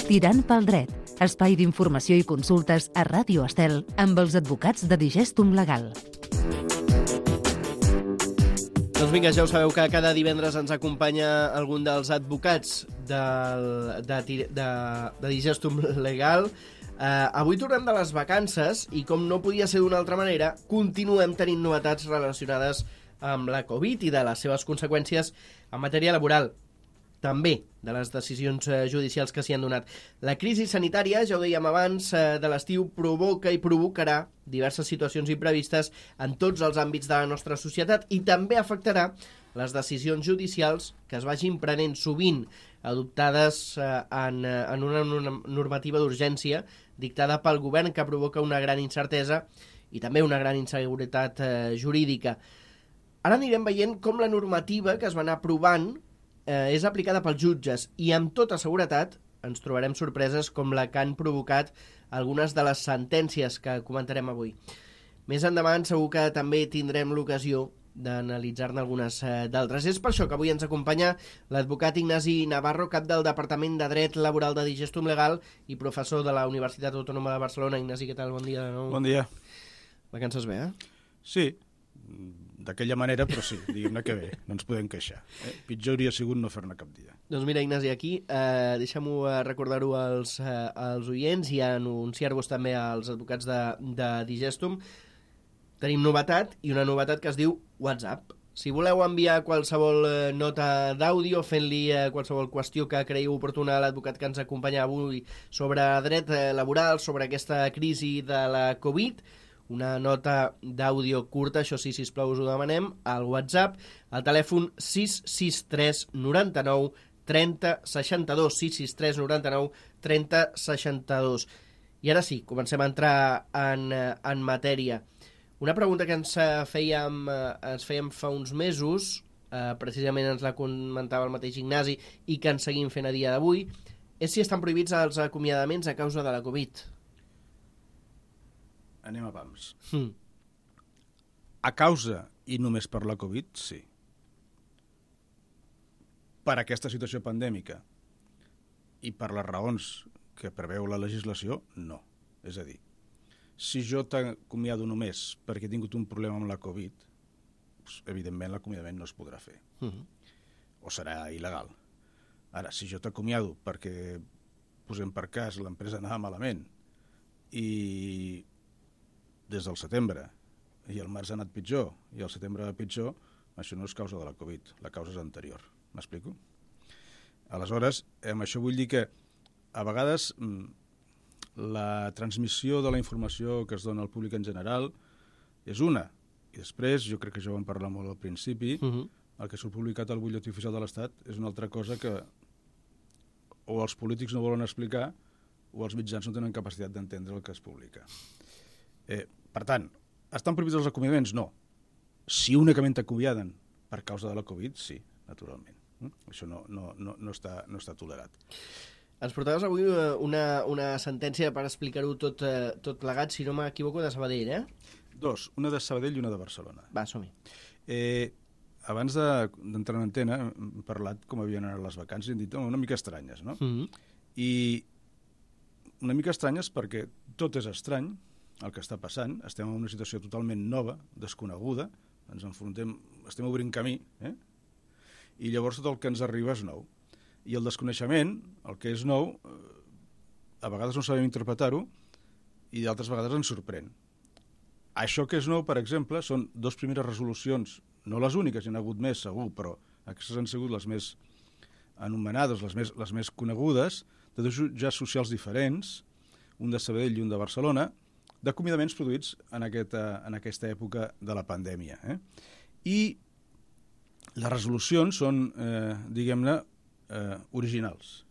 Tirant pel dret, espai d'informació i consultes a Ràdio Estel amb els advocats de Digestum Legal. Doncs vinga, ja ho sabeu que cada divendres ens acompanya algun dels advocats de Digestum Legal. Avui tornem de les vacances i, com no podia ser d'una altra manera, continuem tenint novetats relacionades amb la Covid i de les seves conseqüències en matèria laboral. També de les decisions judicials que s'hi han donat. La crisi sanitària, ja ho dèiem abans, de l'estiu provoca i provocarà diverses situacions imprevistes en tots els àmbits de la nostra societat i també afectarà les decisions judicials que es vagin prenent sovint adoptades en una normativa d'urgència dictada pel govern que provoca una gran incertesa i també una gran inseguretat jurídica. Ara anirem veient com la normativa que es va anar aprovant és aplicada pels jutges i amb tota seguretat ens trobarem sorpreses com la que han provocat algunes de les sentències que comentarem avui. Més endavant segur que també tindrem l'ocasió d'analitzar-ne algunes d'altres. És per això que avui ens acompanya l'advocat Ignasi Navarro, cap del Departament de Dret Laboral de Digestum Legal i professor de la Universitat Autònoma de Barcelona. Ignasi, què tal? Bon dia de nou. Bon dia. Vacances bé, Sí, d'aquella manera, però sí, diguem-ne que bé, no ens podem queixar. Pitjor hauria sigut no fer-ne cap dia. Doncs mira, Ignasi, aquí deixem-ho recordar-ho als oients i anunciar-vos també als advocats de Digestum. Tenim novetat, i una novetat que es diu WhatsApp. Si voleu enviar qualsevol nota d'àudio fent-li qualsevol qüestió que creieu oportuna a l'advocat que ens acompanya avui sobre dret laboral, sobre aquesta crisi de la Covid, una nota d'àudio curta, això sí, sisplau, us ho demanem, al WhatsApp, al telèfon 663 99 30 62, 663 99 30 62. I ara sí, comencem a entrar en matèria. Una pregunta que ens fèiem fa uns mesos, precisament ens la comentava el mateix Ignasi, i que ens seguim fent a dia d'avui, és si estan prohibits els acomiadaments a causa de la Covid. Anem a pams. A causa i només per la Covid, sí. Per aquesta situació pandèmica i per les raons que preveu la legislació, no. És a dir, si jo t'acomiado només perquè he tingut un problema amb la Covid, doncs, evidentment l'acomiadament no es podrà fer. O serà il·legal. Ara, si jo t'acomiado perquè, posem per cas, l'empresa anava malament i des del setembre, i el març ha anat pitjor, i el setembre va pitjor, això no és causa de la Covid, la causa és anterior. M'explico? Aleshores, amb això vull dir que a vegades la transmissió de la informació que es dona al públic en general és una, i després, jo crec que ja ho vam parlar molt al principi, el que s'ha publicat al butlletí oficial de l'Estat és una altra cosa que o els polítics no volen explicar o els mitjans no tenen capacitat d'entendre el que es publica. Per tant, estan prohibits els acomiadaments? No. Si únicament t'acomiaden per causa de la Covid, sí, naturalment. Això no està tolerat. Ens portaves avui una sentència per explicar-ho tot plegat, si no m'equivoco, de Sabadell, Dos, una de Sabadell i una de Barcelona. Va, som-hi. Abans d'entrar en antena hem parlat com havien anat les vacances i hem dit una mica estranyes, no? I una mica estranyes perquè tot és estrany, el que està passant, estem en una situació totalment nova, desconeguda, ens enfrontem, estem obrint camí, i llavors tot el que ens arriba és nou. I el desconeixement, el que és nou, a vegades no sabem interpretar-ho i d'altres vegades ens sorprèn. Això que és nou, per exemple, són dues primeres resolucions, no les úniques, hi ha hagut més segur, però aquestes han sigut les més anomenades, les més conegudes, de dos jutjats socials diferents, un de Sabadell i un de Barcelona, d'acomiadaments produïts en aquesta època de la pandèmia. I les resolucions són, diguem-ne, originals.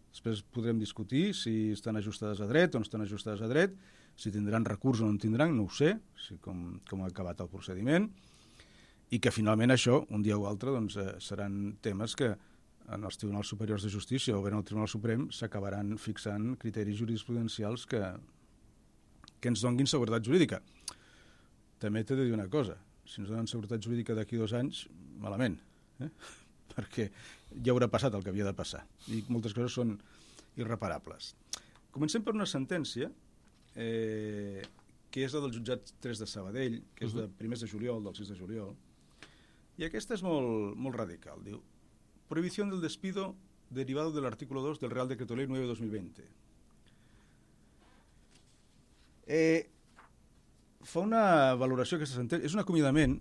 Després podrem discutir si estan ajustades a dret o no estan ajustades a dret, si tindran recurs o no en tindran, no ho sé, com ha acabat el procediment, i que finalment això, un dia o altre, doncs, seran temes que en els Tribunals Superiors de Justícia o bé en el Tribunal Suprem s'acabaran fixant criteris jurisprudencials que ens donguin seguretat jurídica. També t'he de dir una cosa, si ens donen seguretat jurídica d'aquí 2 anys, malament, perquè ja haurà passat el que havia de passar. I moltes coses són irreparables. Comencem per una sentència que és la del jutjat 3 de Sabadell, que és de primers de juliol, del 6 de juliol, i aquesta és molt radical. Diu, prohibición del despido derivado del artículo 2 del Real Decreto Ley 9/2020. Fa una valoració aquesta sentència, és un acomiadament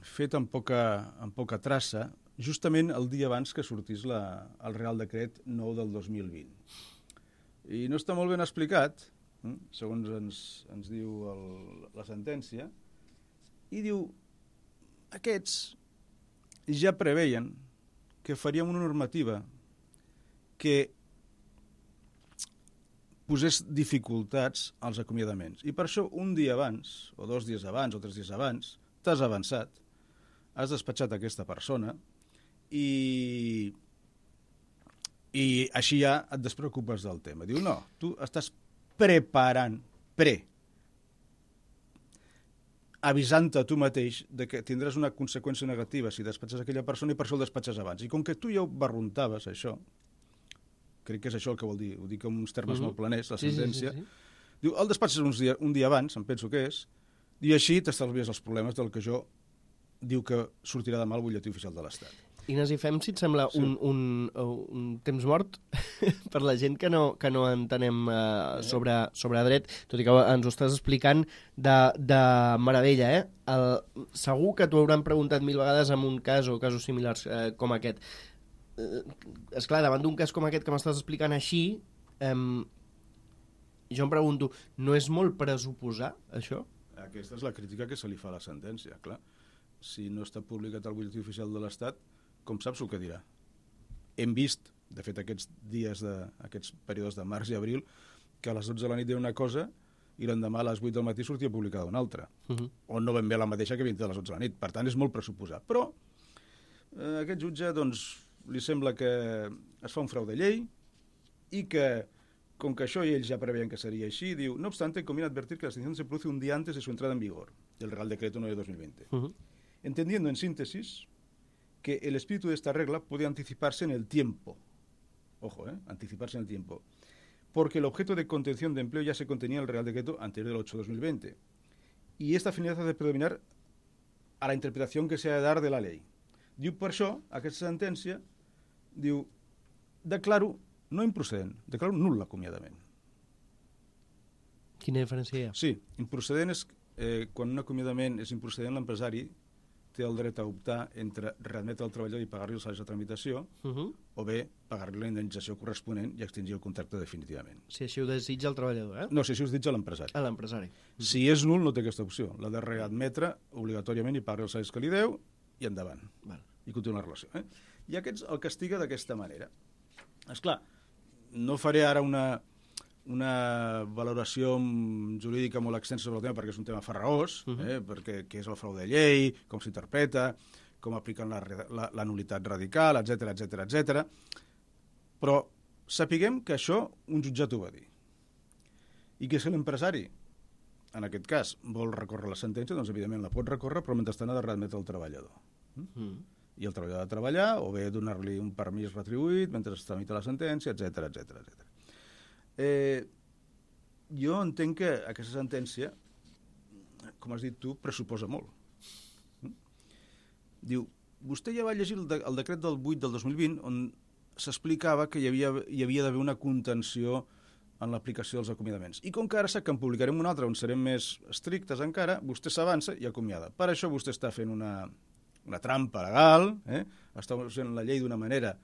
fet amb poca traça, justament el dia abans que sortís el Real Decret 9 del 2020. I no està molt ben explicat, segons ens diu la sentència, i diu, aquests ja preveien que faríem una normativa que posés dificultats als acomiadaments. I per això un dia abans, o 2 dies abans, o 3 dies abans, t'has avançat, has despatxat aquesta persona i així ja et despreocupes del tema. Diu, no, tu estàs preparant, avisant-te tu mateix de que tindràs una conseqüència negativa si despatxes aquella persona i per això el despatxes abans. I com que tu ja ho barruntaves, això, crec que és això el que vol dir, ho dic amb uns termes molt planers, la sentència, diu, el despatxes un dia abans, em penso que és, i així t'estalvies els problemes del que jo diu que sortirà demà al butlletí oficial de l'Estat. Ignasi, fem, si et sembla, un temps mort per la gent que no entenem sobre dret, tot i que ens ho estàs explicant de meravella, segur que t'ho hauran preguntat 1000 vegades en un cas o casos similars com aquest. Esclar, davant d'un cas com aquest que m'estàs explicant així, jo em pregunto, no és molt pressuposar, això? Aquesta és la crítica que se li fa a la sentència, clar. Si no està publicat al butlletí oficial de l'Estat, com saps el que dirà? Hem vist, de fet, aquests períodes de març i abril, que a les 12 de la nit deia una cosa i l'endemà a les 8 del matí sortia publicada una altra. O no ben bé la mateixa que havia dit a les 12 de la nit. Per tant, és molt pressuposar. Però aquest jutge, doncs, li sembla que es fa un frau de llei i que, com que això i ells ja preveien que seria així, diu, no obstante, conviene advertir que la extinción se produce un día antes de su entrada en vigor, del Real Decreto 9 de 2020. Entendiendo en síntesis que el espíritu de esta regla puede anticiparse en el tiempo. Ojo, anticiparse en el tiempo. Porque el objeto de contención de empleo ya se contenía en el Real Decreto anterior del 8 de 2020. Y esta finalidad hace predominar a la interpretación que se ha de dar de la ley. Diu, per això, aquesta sentència, diu, declaro no improcedent, declaro nul l'acomiadament. Quina diferència hi ha? Sí, improcedent és quan un acomiadament és improcedent, l'empresari té el dret a optar entre readmetre el treballador i pagar-li els salaris de tramitació o bé pagar-li la indemnització corresponent i extingir el contracte definitivament. Si així ho desitja el treballador, No, si així ho desitja l'empresari. A l'empresari. Si és nul, no té aquesta opció. L'ha de readmetre obligatòriament i pagar els salaris que li deu i endavant. I continua la relació. I aquests el castiga d'aquesta manera. Esclar, no faré ara una valoració jurídica molt extensa sobre el tema perquè és un tema farragós, perquè què és el frau de llei, com s'interpreta, com apliquen la nul·litat radical, etc. Però sapiguem que això un jutjat ho va dir. I que si l'empresari, en aquest cas, vol recórrer la sentència, doncs evidentment la pot recórrer, però mentrestant ha de readmetre el treballador. I el treballador ha de treballar, o bé donar-li un permís retribuït mentre es tramita la sentència, etc. Jo entenc que aquesta sentència, com has dit tu, pressuposa molt. Diu, vostè ja va llegir el decret del 8 del 2020 on s'explicava que hi havia d'haver una contenció en l'aplicació dels acomiadaments. I com que ara sap que en publicarem un altre on serem més estrictes encara, vostè s'avança i acomiada. Per això vostè està fent una trampa legal, està usant la llei d'una manera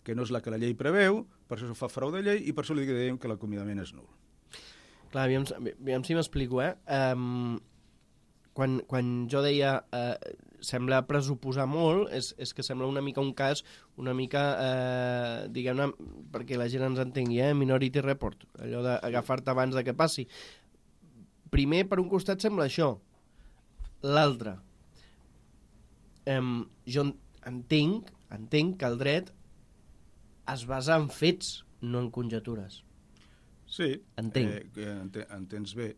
que no és la que la llei preveu, per això fa frau de llei i per això li dèiem que l'acomiadament és nul. Clar, aviam si m'explico, Quan jo deia sembla pressuposar molt, és que sembla una mica un cas, una mica, diguem-ne, perquè la gent ens entengui, Minority Report, allò d'agafar-te abans de que passi. Primer, per un costat, sembla això. L'altre, jo entenc que el dret es basa en fets, no en conjectures. Sí, entenc. entens bé.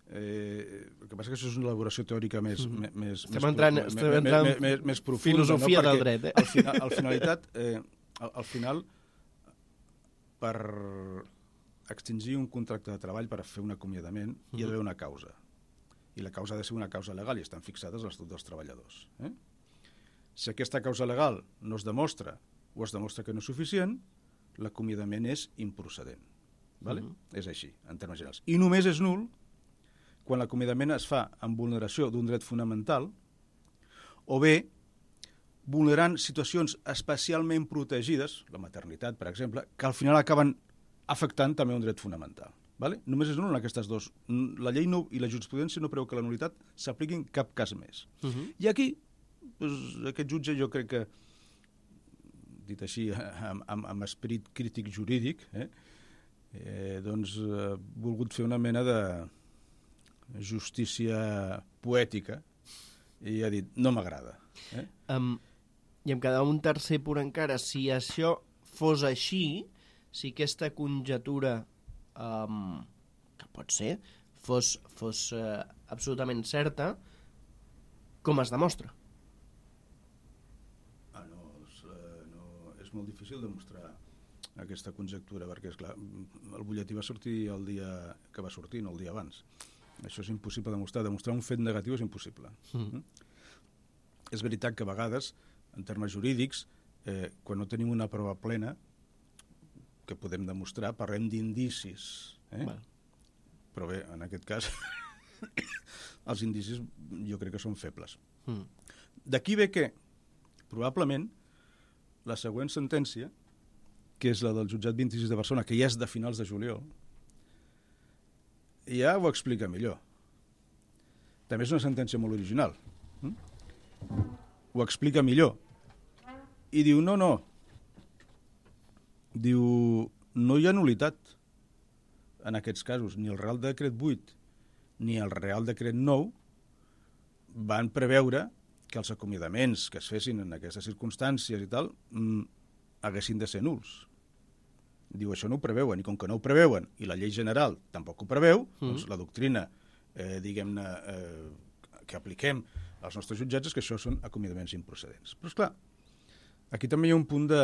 El que passa que això és una elaboració teòrica més profunda. Filosofia del dret, Al final, per extingir un contracte de treball, per fer un acomiadament, hi ha d'haver una causa. I la causa ha de ser una causa legal i estan fixades a l'Estatut dels Treballadors. Si aquesta causa legal no es demostra o es demostra que no és suficient, l'acomiadament és improcedent. Vale? És així, en termes generals. I només és nul quan l'acomiadament es fa en vulneració d'un dret fonamental o bé vulnerant situacions especialment protegides, la maternitat, per exemple, que al final acaben afectant també un dret fonamental. Vale? Només és nul en aquestes dues. La llei i la jurisprudència no preveu que la nulitat s'apliqui en cap cas més. I aquí, aquest jutge, jo crec que, dit així, amb esperit crític jurídic, doncs ha volgut fer una mena de justícia poètica i ha dit, no m'agrada. I em quedava un tercer punt encara. Si això fos així, si aquesta conjectura que pot ser fos absolutament certa, com es demostra? És molt difícil demostrar aquesta conjectura, perquè, esclar, el butlletí va sortir el dia que va sortir, no el dia abans. Això és impossible demostrar. Demostrar un fet negatiu és impossible. És veritat que a vegades, en termes jurídics, quan no tenim una prova plena que podem demostrar, parlem d'indicis. Però bé, en aquest cas, els indicis jo crec que són febles. D'aquí ve que, probablement, la següent sentència, que és la del jutjat 26 de Barcelona, que ja és de finals de juliol, ja ho explica millor. També és una sentència molt original. Ho explica millor. I diu, no. Diu, no hi ha nulitat en aquests casos. Ni el Real Decret 8 ni el Real Decret 9 van preveure que els acomiadaments que es fessin en aquestes circumstàncies i tal haguessin de ser nuls. Diu, això no ho preveuen, i com que no ho preveuen, i la llei general tampoc ho preveu, doncs la doctrina, diguem-ne, que apliquem als nostres jutjats és que això són acomiadaments improcedents. Però, esclar, aquí també hi ha un punt de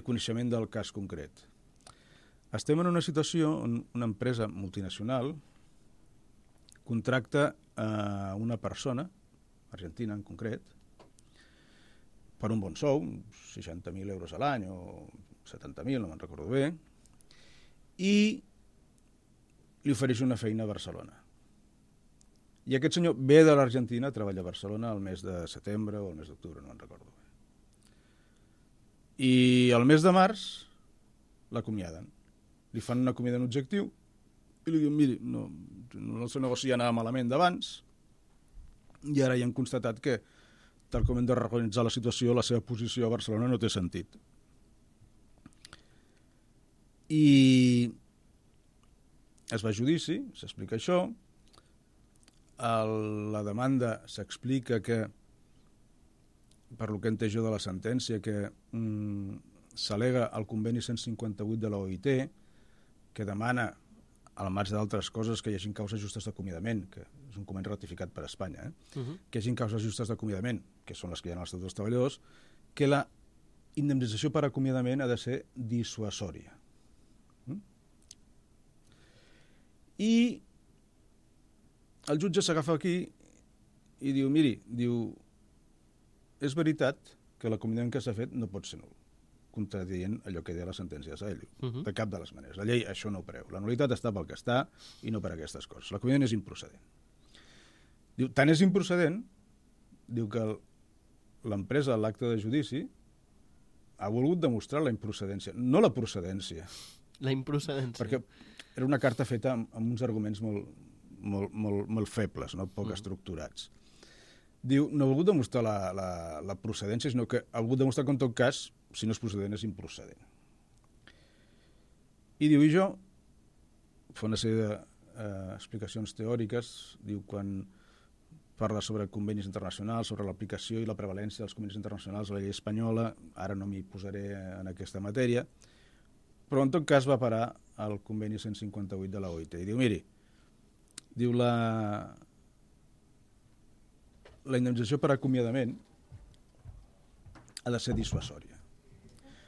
coneixement del cas concret. Estem en una situació on una empresa multinacional contracta a una persona, argentina en concret, per un bon sou, 60.000 euros a l'any o 70.000, no me'n recordo bé, i li ofereix una feina a Barcelona. I aquest senyor ve de l'Argentina a treballar a Barcelona el mes de setembre o el mes d'octubre, no me'n recordo bé. I el mes de març l'acomiaden. Li fan un acomiadament objectiu i li diuen, miri, no, el seu negoci ja anava malament d'abans i ara ja hem constatat que, tal com hem de reorganitzar la situació, la seva posició a Barcelona no té sentit. I es va a judici, s'explica això, la demanda s'explica que, per lo que he entès jo de la sentència, que s'al·lega el conveni 158 de l'OIT, que demana, al marge d'altres coses, que hi hagi causes justes d'acomiadament, que és un conveni ratificat per Espanya, que hi hagi causes justes d'acomiadament, que són les que hi ha en l'Estatut dels Treballadors, que la indemnització per acomiadament ha de ser dissuasòria. I el jutge s'agafa aquí i diu, miri, és veritat que l'acomiadament que s'ha fet no pot ser nul, contradient allò que deia la sentència de Saello, de cap de les maneres. La llei això no ho preveu. La nulitat està pel que està i no per aquestes coses. L'acomiadament és improcedent. Diu, tant és improcedent, diu que l'empresa, a l'acte de judici, ha volgut demostrar la improcedència, no la procedència. La improcedència. Perquè era una carta feta amb uns arguments molt febles, no? Poc estructurats. Diu, no ha volgut demostrar la procedència, sinó que ha volgut demostrar que en tot cas, si no és procedent, és improcedent. I diu, i jo, fa una sèrie d'explicacions teòriques, diu, quan parla sobre convenis internacionals, sobre l'aplicació i la prevalència dels convenis internacionals a la llei espanyola, ara no m'hi posaré en aquesta matèria, però en tot cas va parar al conveni 158 de la OIT. I diu, miri, Diu la indemnització per acomiadament ha de ser dissuasòria.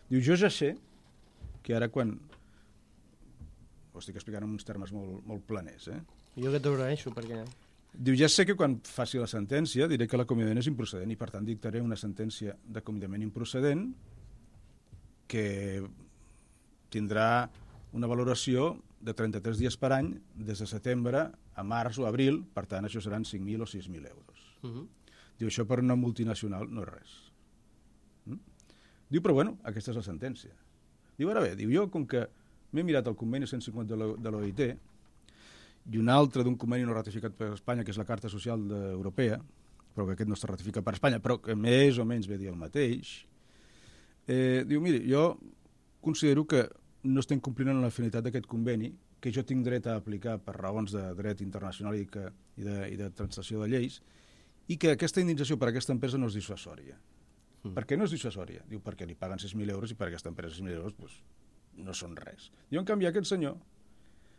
Diu, jo ja sé que ara quan... Ho estic explicant en uns termes molt planers, Jo que t'agraeixo, perquè... Diu, ja sé que quan faci la sentència diré que l'acomiadament és improcedent i per tant dictaré una sentència d'acomiadament improcedent que tindrà una valoració de 33 dies per any des de setembre a març o abril, per tant això seran 5.000 o 6.000 euros. Diu, això per una multinacional no és res. Diu, però bueno, aquesta és la sentència. Diu, ara bé, diu, jo com que m'he mirat el conveni 150 de l'OIT i un altre d'un conveni no ratificat per Espanya, que és la Carta Social Europea, però que aquest no està ratificat per Espanya, però que més o menys ve a dir el mateix, diu, miri, jo considero que no estem complint amb la finalitat d'aquest conveni, que jo tinc dret a aplicar per raons de dret internacional i de translació de lleis, i que aquesta indemnització per a aquesta empresa no és dissuasòria. Per què no és dissuasòria? Diu, perquè li paguen 6.000 euros i per a aquesta empresa 6.000 euros doncs, no són res. Diu, en canvi, aquest senyor,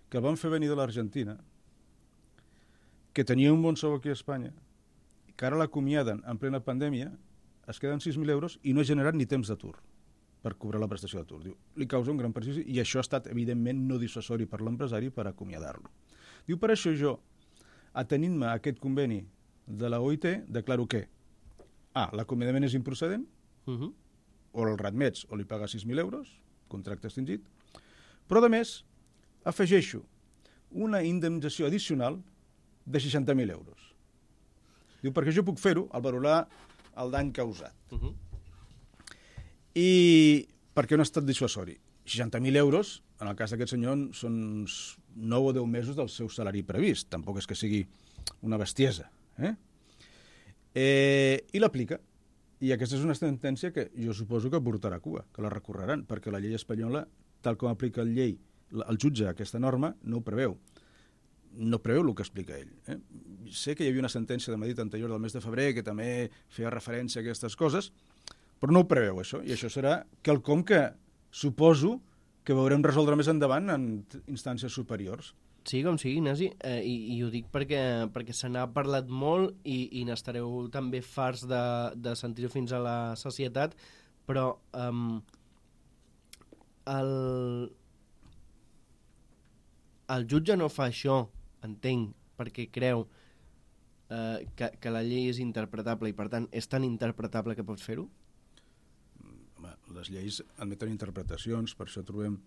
que el van fer venir de l'Argentina, que tenia un bon sou aquí a Espanya, que ara l'acomiaden en plena pandèmia, es queden 6.000 euros i no ha generat ni temps d'atur per cobrar la prestació d'atur. Diu, li causa un gran perjudici i això ha estat, evidentment, no dissuasori per l'empresari per acomiadar-lo. Diu, per això jo, atenint-me a aquest conveni de la OIT, declaro que l'acomiadament és improcedent, o el readmets o li paga 6.000 euros, contracte extingit, però a més afegeixo una indemnització addicional de 60.000 euros. Diu, perquè jo puc fer-ho al valorar el dany causat. I perquè no ha estat dissuasori. 60.000 euros, en el cas d'aquest senyor, són uns 9 o 10 mesos del seu salari previst. Tampoc és que sigui una bestiesa. I l'aplica. I aquesta és una sentència que jo suposo que portarà a cua, que la recorreran, perquè la llei espanyola, tal com aplica el jutge aquesta norma, no ho preveu. No preveu el que explica ell. Sé que hi havia una sentència de Madrid anterior del mes de febrer que també feia referència a aquestes coses, però no ho preveu, això. I això serà quelcom que suposo que veurem resoldre més endavant en instàncies superiors. Sí, com sigui, Ignasi, i ho dic perquè se n'ha parlat molt i n'estareu també farts de sentir-ho fins a la societat, però el jutge no fa això, entenc, perquè creu que la llei és interpretable i, per tant, és tan interpretable que pots fer-ho? Home, les lleis admeten interpretacions, per això trobem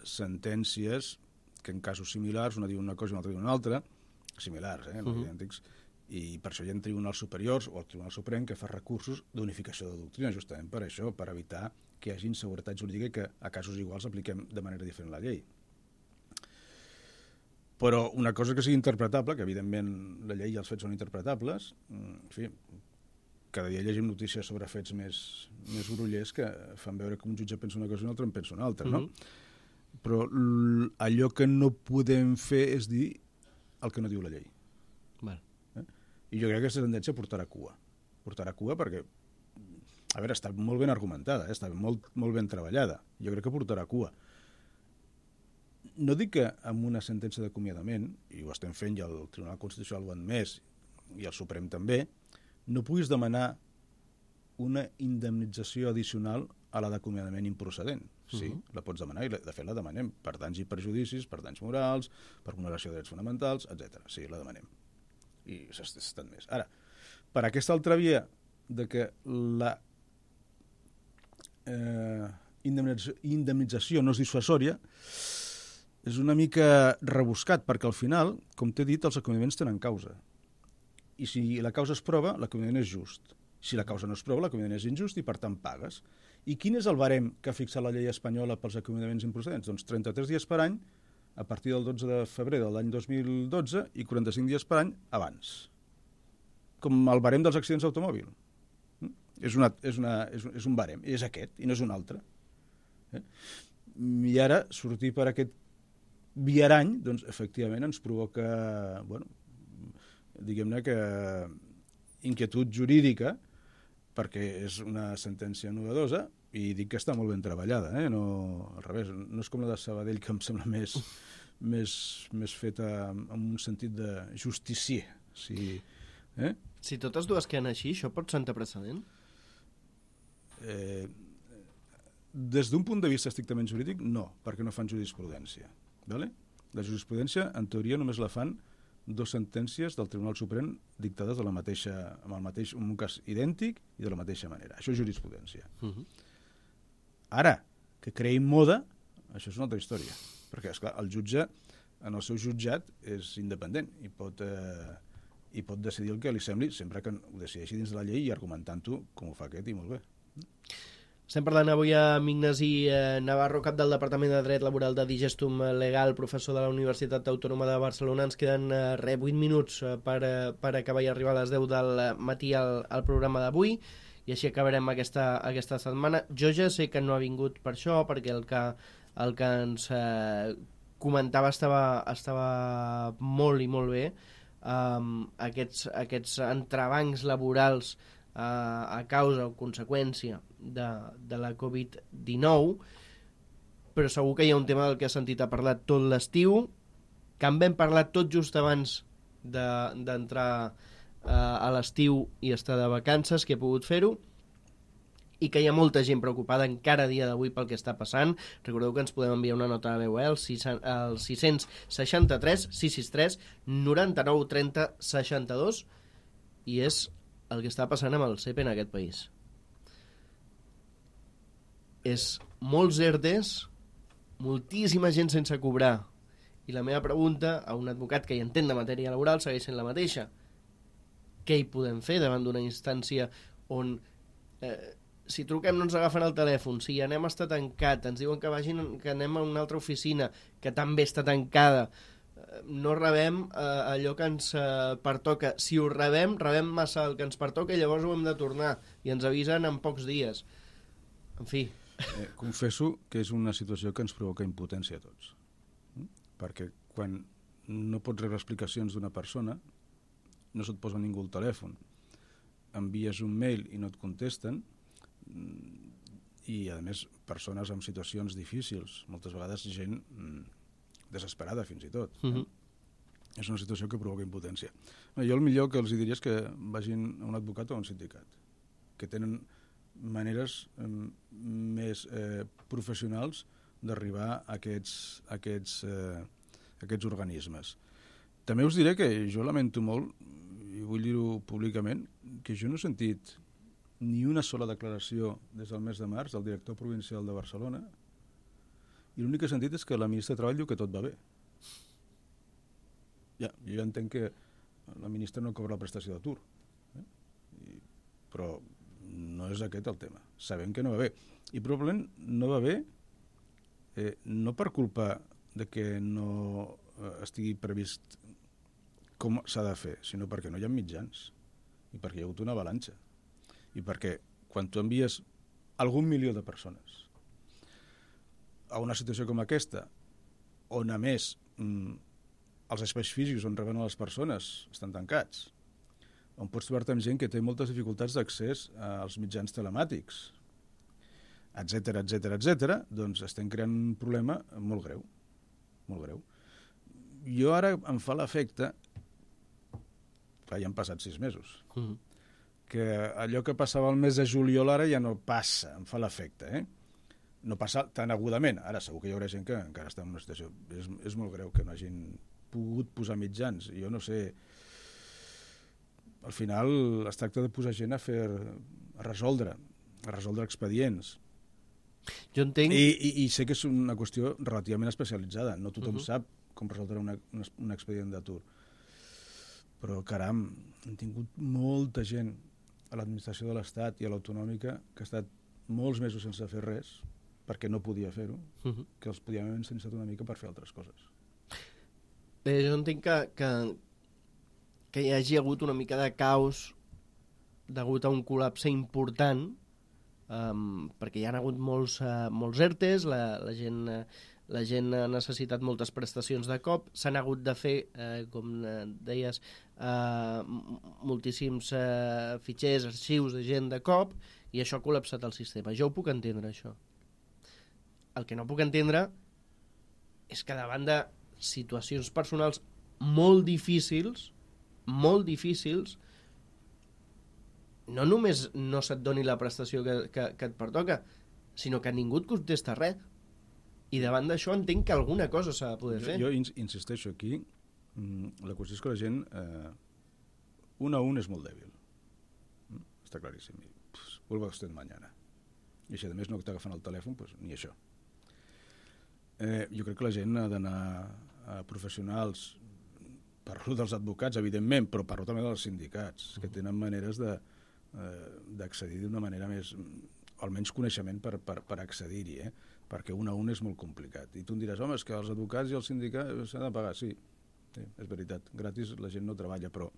sentències que en casos similars, una diu una cosa i una altra diu una altra, similars, no idèntics, i per això hi ha tribunals superiors o el Tribunal Suprem que fa recursos d'unificació de doctrina, justament per això, per evitar que hi hagi inseguretat jurídica i que a casos iguals apliquem de manera diferent la llei. Però una cosa que sigui interpretable, que evidentment la llei i els fets són interpretables, en fi, cada dia llegim notícies sobre fets més grollers que fan veure que un jutge pensa una cosa i un altre en pensa una altra, no? Però allò que no podem fer és dir el que no diu la llei. Val. I jo crec que aquesta tendència portarà cua. Portarà cua perquè, a veure, està molt ben argumentada, està molt ben treballada. Jo crec que portarà cua. No dic que amb una sentència d'acomiadament, i ho estem fent i el Tribunal Constitucional ho ha admès, i el Suprem també, no puguis demanar una indemnització addicional a la d'acomiadament improcedent. Sí, la pots demanar i de fet la demanem per danys i perjudicis, per danys morals, per vulneració de drets fonamentals, etc. Sí, la demanem. I s'ha estat més. Ara, per aquesta altra via de que la indemnització no és dissuasòria és una mica rebuscat, perquè al final, com t'he dit, els acomiadaments tenen causa. I si la causa es prova, l'acomiadament és just. Si la causa no es prova, l'acomiadament és injust i, per tant, pagues. I quin és el barem que ha fixat la llei espanyola pels acomiadaments improcedents? Doncs 33 dies per any a partir del 12 de febrer de l'any 2012 i 45 dies per any abans. Com el barem dels accidents d'automòbil. És un barem, és aquest, i no és un altre. I ara, sortir per aquest viarany, doncs, efectivament, ens provoca, bueno, diguem-ne que inquietud jurídica, perquè és una sentència novedosa i dic que està molt ben treballada, no, al revés, no és com la de Sabadell, que em sembla més més feta amb un sentit de justicier. Si totes dues queden així, això pot sentar precedent? Des d'un punt de vista estrictament jurídic, no, perquè no fan jurisprudència. Vale? La jurisprudència, en teoria, només la fan 2 sentències del Tribunal Suprem dictades en un cas idèntic i de la mateixa manera. Això és jurisprudència. Ara, que creïn moda, això és una altra història. Perquè, esclar, el jutge, en el seu jutjat, és independent i pot decidir el que li sembli, sempre que ho decideixi dins de la llei i argumentant-ho com ho fa aquest, i molt bé. Estem parlant avui amb Ignasi Navarro, cap del Departament de Dret Laboral de Digestum Legal, professor de la Universitat Autònoma de Barcelona. Ens queden 8 minuts per acabar i arribar a les 10 del matí al programa d'avui, i així acabarem aquesta setmana. Jo ja sé que no ha vingut per això, perquè el que ens comentava estava molt i molt bé. Aquests entrebancs laborals a causa o conseqüència de la Covid-19, però segur que hi ha un tema del que has sentit a parlar tot l'estiu, que en vam parlar tot just abans d'entrar a l'estiu i estar de vacances, que he pogut fer-ho, i que hi ha molta gent preocupada encara a dia d'avui pel que està passant. Recordeu que ens podem enviar una nota de veu al 663 663 99 30 62, i és el que està passant amb el CEP en aquest país. És molts ERTEs, moltíssima gent sense cobrar, i la meva pregunta a un advocat que hi entén de matèria laboral segueix sent la mateixa. Què hi podem fer davant d'una instància on si truquem no ens agafen el telèfon, si anem a estar tancat, ens diuen que anem a una altra oficina que també està tancada, no rebem allò que ens pertoca. Si ho rebem massa el que ens pertoca i llavors ho hem de tornar i ens avisen en pocs dies. En fi. Confesso que és una situació que ens provoca impotència a tots. Perquè quan no pots rebre explicacions d'una persona, no se't posa ningú al telèfon, envies un mail i no et contesten, i a més persones amb situacions difícils, moltes vegades gent desesperada fins i tot. És una situació que provoca impotència. Jo el millor que els diria és que vagin a un advocat o a un sindicat, que tenen maneres més professionals d'arribar a aquests organismes. També us diré que jo lamento molt, i vull dir-ho públicament, que jo no he sentit ni una sola declaració des del mes de març del director provincial de Barcelona, i l'únic que he sentit és que la ministra de Treball diu que tot va bé. Jo ja entenc que la ministra no cobra la prestació d'atur, però no és aquest el tema. Sabem que no va bé. I probablement no va bé no per culpa de que no estigui previst com s'ha de fer, sinó perquè no hi ha mitjans i perquè hi ha hagut una avalanxa. I perquè quan tu envies algun milió de persones a una situació com aquesta, on a més els espais físics on reben les persones estan tancats, on pots trobar-te amb gent que té moltes dificultats d'accés als mitjans telemàtics, etc., doncs estem creant un problema molt greu, molt greu. Jo ara em fa l'efecte, ja han passat 6 mesos, que allò que passava el mes de juliol ara ja no passa, em fa l'efecte, No passa tan agudament. Ara segur que hi haurà gent que encara està en una situació. És molt greu que no hagin pogut posar mitjans. Jo no sé... Al final es tracta de posar gent a resoldre expedients. Jo entenc... I sé que és una qüestió relativament especialitzada. No tothom sap com resoldre un expedient d'atur. Però, caram, hem tingut molta gent a l'administració de l'Estat i a l'autonòmica que ha estat molts mesos sense fer res, perquè no podia fer-ho, que els podíem haver ensenyat una mica per fer altres coses. Jo entenc que hi hagi hagut una mica de caos degut a un col·lapse important, perquè hi ha hagut molts ERTEs, la gent ha necessitat moltes prestacions de cop, s'han hagut de fer, com deies, moltíssims fitxers, arxius de gent de cop, i això ha col·lapsat el sistema. Jo ho puc entendre, això. El que no puc entendre és que davant de situacions personals molt difícils, no només no se't doni la prestació que et pertoca, sinó que ningú et contesta res. I davant d'això entenc que alguna cosa s'ha de poder fer. Jo insisteixo aquí, la qüestió és que la gent un a un és molt dèbil. Està claríssim. Vuelva usted mañana. I si a més no t'agafen el telèfon, pues, ni això. Jo crec que la gent ha d'anar a professionals, parlo dels advocats, evidentment, però parlo també dels sindicats, que tenen maneres d'accedir d'una manera més, almenys coneixement per accedir-hi, perquè un a un és molt complicat. I tu em diràs, home, és que els advocats i els sindicats s'han de pagar. Sí, és veritat, gratis la gent no treballa, però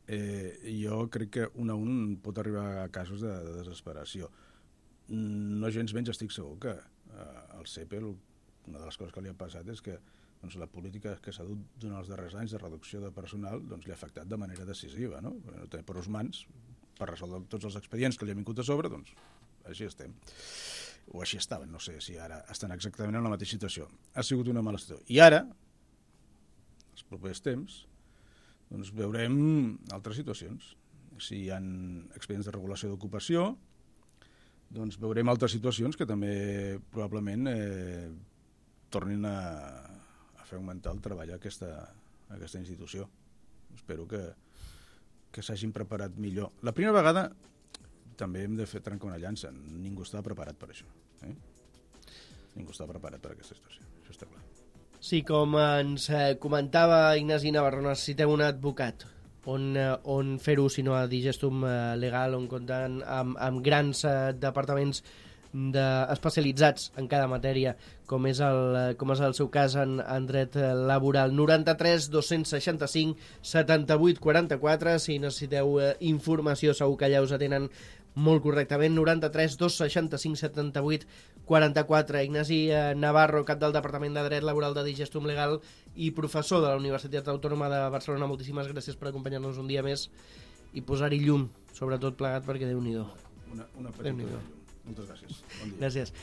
jo crec que un a un pot arribar a casos de desesperació. No gens menys estic segur que al CEPEL una de les coses que li ha passat és que la política que s'ha dut durant els darrers anys de reducció de personal li ha afectat de manera decisiva, no? No té prou mans per resoldre tots els expedients que li han vingut a sobre, doncs així estem. O així estaven, no sé si ara estan exactament en la mateixa situació. Ha sigut una mala situació. I ara, els propers temps, doncs veurem altres situacions. Si hi ha expedients de regulació d'ocupació, doncs veurem altres situacions que també probablement tornin a fer augmentar el treball a aquesta institució. Espero que s'hagin preparat millor. La primera vegada també hem de fer trencar una llança. Ningú estava preparat per això. Ningú estava preparat per aquesta situació. Això està clar. Sí, com ens comentava Ignasi Navarro, necessiteu un advocat. On fer-ho, si no a Digestum Legal, on compten amb grans departaments especialitzats en cada matèria, com és el seu cas en dret laboral. 93 265 78 44, si necessiteu informació segur que allà us atenen molt correctament. 93 265 78 44. Ignasi Navarro, cap del Departament de Dret Laboral de Digestum Legal i professor de la Universitat Autònoma de Barcelona, moltíssimes gràcies per acompanyar-nos un dia més i posar-hi llum, sobretot plegat, perquè Déu-n'hi-do. Una petita llum. Moltes gràcies. Bon dia. Gràcies.